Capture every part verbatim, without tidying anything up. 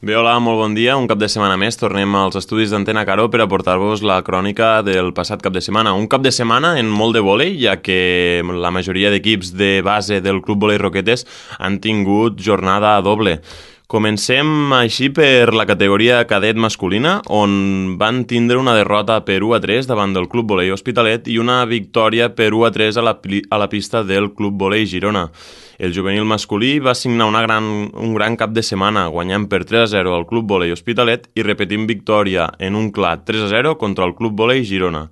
Bé, hola, molt bon dia. Un cap de setmana més tornem als estudis d'Antena Caro per aportar-vos la crònica del passat cap de setmana. Un cap de setmana en molt de vòlei, ja que la majoria d'equips de base del Club Vòlei Roquetes han tingut jornada doble. Comencem així per la categoria cadet masculina, on van tindre una derrota per u a tres davant del Club Vòlei Hospitalet i una victòria per u a tres a la, a la pista del Club Vòlei Girona. El juvenil masculí va signar una gran, un gran cap de setmana, guanyant per tres a zero al Club Vòlei Hospitalet i repetint victòria en un clar tres a zero contra el Club Vòlei Girona.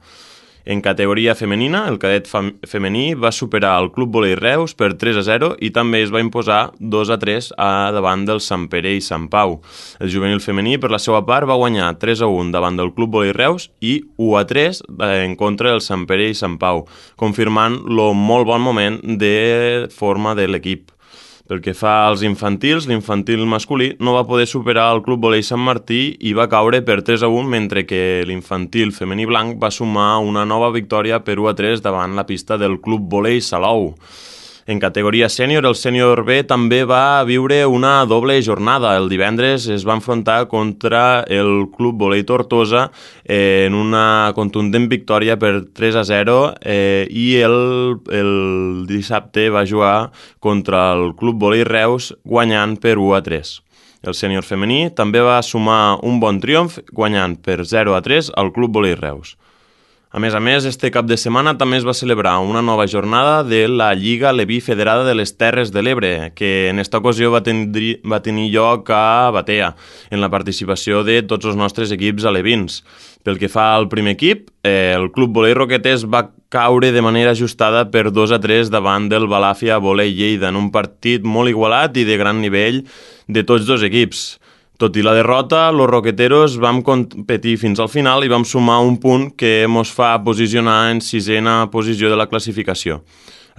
En categoria femenina, el cadet femení va superar el Club Vòlei Reus per tres a zero i també es va imposar dos a tres a davant del Sant Pere i Sant Pau. El juvenil femení, per la seva part, va guanyar tres a un davant del Club Vòlei Reus i u a tres en contra del Sant Pere i Sant Pau, confirmant el molt bon moment de forma de l'equip. Pel que fa als infantils, l'infantil masculí no va poder superar el Club Vòlei Sant Martí i va caure per tres a un, mentre que l'infantil femení blanc va sumar una nova victòria per u a tres davant la pista del Club Vòlei Salou. En categoria sènior, el sènior B també va viure una doble jornada. El divendres es va enfrontar contra el Club Vòlei Tortosa en una contundent victòria per tres a zero eh, i el, el dissabte va jugar contra el Club Vòlei Reus guanyant per u a tres. El sènior femení també va sumar un bon triomf guanyant per zero a tres al Club Vòlei Reus. A més a més, este cap de setmana també es va celebrar una nova jornada de la Lliga Leví Federada de les Terres de l'Ebre, que en esta ocasió va tenir, va tenir lloc a Batea, en la participació de tots els nostres equips alevins. Pel que fa al primer equip, eh, el Club Vòlei Roquetes va caure de manera ajustada per dos a tres davant del Balàfia Vòlei Lleida, en un partit molt igualat i de gran nivell de tots dos equips. Tot i la derrota, los roqueteros vam competir fins al final i vam sumar un punt que ens fa posicionar en sisena posició de la classificació.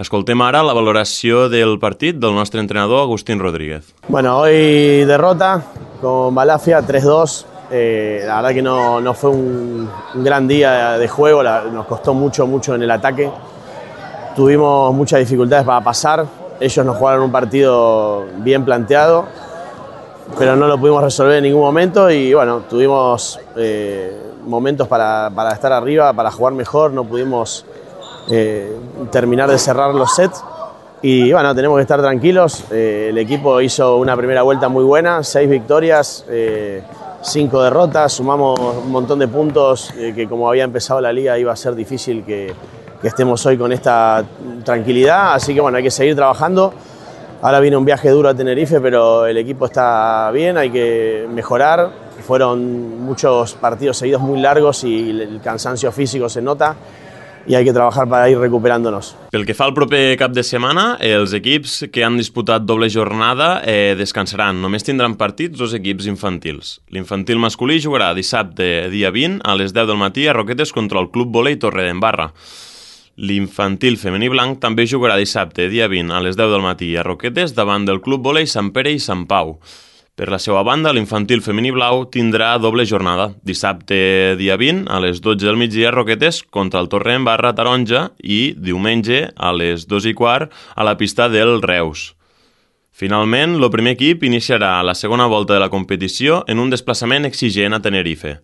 Escoltem ara la valoració del partit del nostre entrenador Agustín Rodríguez. Bueno, hoy derrota con Balàfia tres dos. Eh, la verdad que no, no fue un, un gran día de juego, la, nos costó mucho, mucho en el ataque. Tuvimos muchas dificultades para pasar. Ellos nos jugaron un partido bien planteado, pero no lo pudimos resolver en ningún momento y bueno, tuvimos eh, momentos para, para estar arriba, para jugar mejor, no pudimos eh, terminar de cerrar los sets y bueno, tenemos que estar tranquilos. Eh, el equipo hizo una primera vuelta muy buena, seis victorias, eh, cinco derrotas, sumamos un montón de puntos eh, que como había empezado la liga iba a ser difícil que, que estemos hoy con esta tranquilidad, así que bueno, hay que seguir trabajando. Ahora viene un viaje duro a Tenerife, pero el equipo está bien, hay que mejorar. Fueron muchos partidos seguidos muy largos y el cansancio físico se nota i hay que trabajar para ir recuperándonos. Pel que fa al proper cap de setmana, els equips que han disputat doble jornada eh, descansaran. Només tindran partits dos equips infantils. L'infantil masculí jugarà dissabte, dia vint, a les deu del matí a Roquetes contra el Club Vòlei Torredembarra. L'infantil femení blanc també jugarà dissabte, dia vint, a les deu del matí a Roquetes davant del Club Vòlei Sant Pere i Sant Pau. Per la seva banda, l'infantil femení blau tindrà doble jornada. Dissabte, dia vint, a les dotze del migdia a Roquetes contra el Torredembarra Taronja i diumenge a les dos i quart a la pista del Reus. Finalment, el primer equip iniciarà la segona volta de la competició en un desplaçament exigent a Tenerife,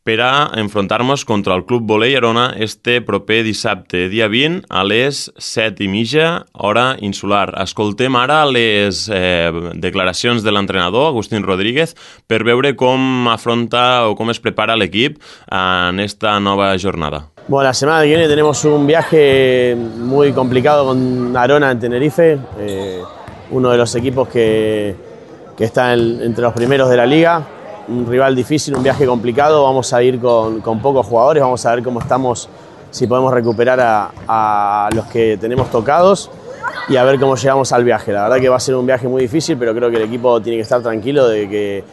per a enfrontar-nos contra el Club Vòlei Arona este proper dissabte, dia vint, a les set i mitja, hora insular. Escoltem ara les eh, declaracions de l'entrenador, Agustín Rodríguez, per veure com afronta o com es prepara l'equip en esta nova jornada. Bueno, la semana que viene tenemos un viaje muy complicado con Arona en Tenerife, eh, uno de los equipos que, que está en, entre los primeros de la liga. Un rival difícil, un viaje complicado, vamos a ir con, con pocos jugadores, vamos a ver cómo estamos, si podemos recuperar a, a los que tenemos tocados y a ver cómo llegamos al viaje. La verdad que va a ser un viaje muy difícil, pero creo que el equipo tiene que estar tranquilo de que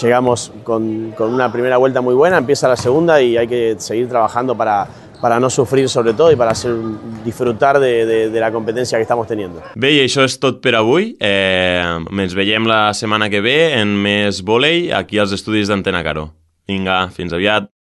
llegamos con, con una primera vuelta muy buena, empieza la segunda y hay que seguir trabajando para, para no sufrir sobre todo y para hacer, disfrutar de, de, de la competència que estamos teniendo. Bé, i això és tot per avui. Eh, ens veiem la setmana que ve en més vòlei aquí als estudis d'Antena Caro. Vinga, fins aviat.